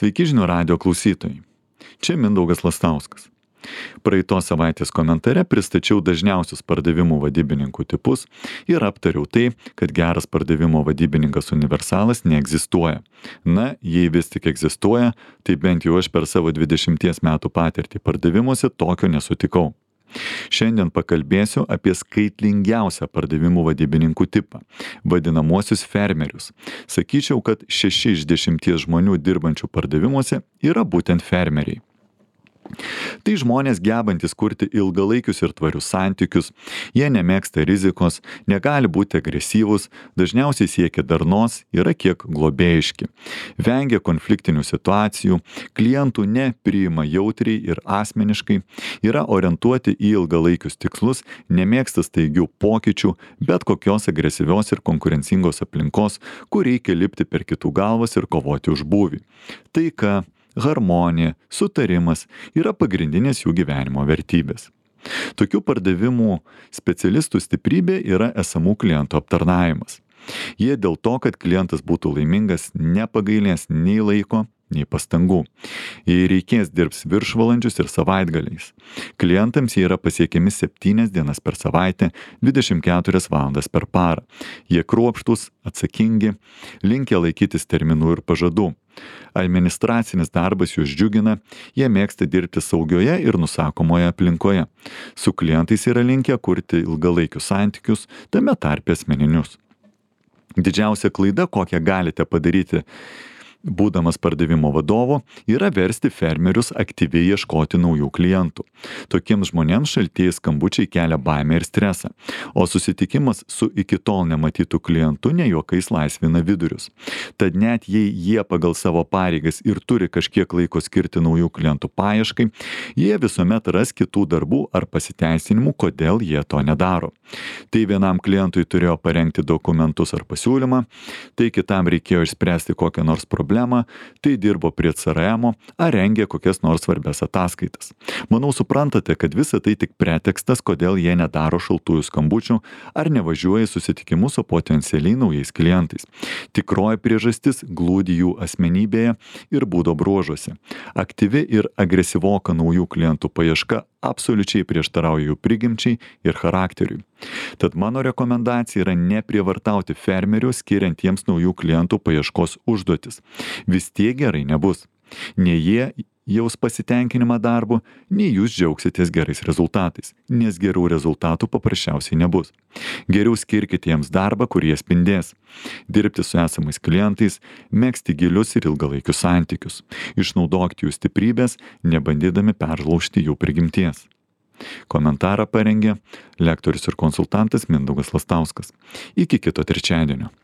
Sveiki žinių radijo klausytojai. Čia Mindaugas Lastauskas. Praeitos savaitės komentare pristačiau dažniausius pardavimų vadybininkų tipus ir aptariau tai, kad geras pardavimo vadybininkas universalas neegzistuoja. Na, jei vis tik egzistuoja, tai bent jau aš per savo 20 metų patirtį pardavimuose tokio nesutikau. Šiandien pakalbėsiu apie skaitlingiausią pardavimų vadybininkų tipą - vadinamuosius fermerius. Sakyčiau, kad 6 iš 10 žmonių dirbančių pardavimuose yra būtent fermeriai. Tai žmonės gebantis kurti ilgalaikius ir tvarius santykius, jie nemėgsta rizikos, negali būti agresyvūs, dažniausiai siekia darnos, yra kiek globėjiški, vengia konfliktinių situacijų, klientų nepriima jautriai ir asmeniškai, yra orientuoti į ilgalaikius tikslus, nemėgsta staigių pokyčių, bet kokios agresyvios ir konkurencingos aplinkos, kur reikia lipti per kitų galvas ir kovoti už būvį. Taika, harmonija, sutarimas yra pagrindinės jų gyvenimo vertybės. Tokių pardavimų specialistų stiprybė yra esamų klientų aptarnavimas. Jie dėl to, kad klientas būtų laimingas, nepagailės nei laiko, nei pastangų. Jei reikės dirbs viršvalandžius ir savaitgaliais. Klientams jie yra pasiekiami 7 dienas per savaitę, 24 valandas per parą. Jie kruopštūs, atsakingi, linkę laikytis terminų ir pažadų. Administracinis darbas juos džiugina, jie mėgsta dirbti saugioje ir nusakomoje aplinkoje. Su klientais yra linkę kurti ilgalaikius santykius, tame tarpe asmeninius. Didžiausia klaida, kokią galite padaryti būdamas pardavimo vadovu, yra versti fermerius aktyviai ieškoti naujų klientų. Tokiems žmonėms šaltieji skambučiai kelia baimę ir stresą, o susitikimas su iki tol nematytų klientu ne juokais laisvina vidurius. Tad net jei jie pagal savo pareigas ir turi kažkiek laiko skirti naujų klientų paieškai, jie visuomet ras kitų darbų ar pasiteisinimų, kodėl jie to nedaro. Tai vienam klientui turėjo parengti dokumentus ar pasiūlymą, tai kitam reikėjo išspręsti kokią nors problemą, tai dirbo prie CRM ar rengė kokias nors svarbias ataskaitas. Manau, suprantate, kad visa tai tik pretekstas, kodėl jie nedaro šaltųjų skambučių ar nevažiuoja į susitikimus su potencialiai naujais klientais. Tikroji priežastis glūdi jų asmenybėje ir būdo bruožuose. Aktyvi ir agresyvoka naujų klientų paieška absoliučiai prieštarauja jų prigimčiai ir charakteriui. Tad mano rekomendacija yra neprievartauti fermerių, skiriant jiems naujų klientų paieškos užduotis. Vis tiek gerai nebus. Nei jie jaus pasitenkinimą darbu, nei jūs džiaugsitės gerais rezultatais, nes gerų rezultatų paprasčiausiai nebus. Geriau skirkite jiems darbą, kur jie spindės. Dirbti su esamais klientais, megzti gilius ir ilgalaikius santykius. Išnaudokite jų stiprybės, nebandydami peržlaužti jų prigimties. Komentarą parengė lektorius ir konsultantas Mindaugas Lastauskas. Iki kito trečiadienio.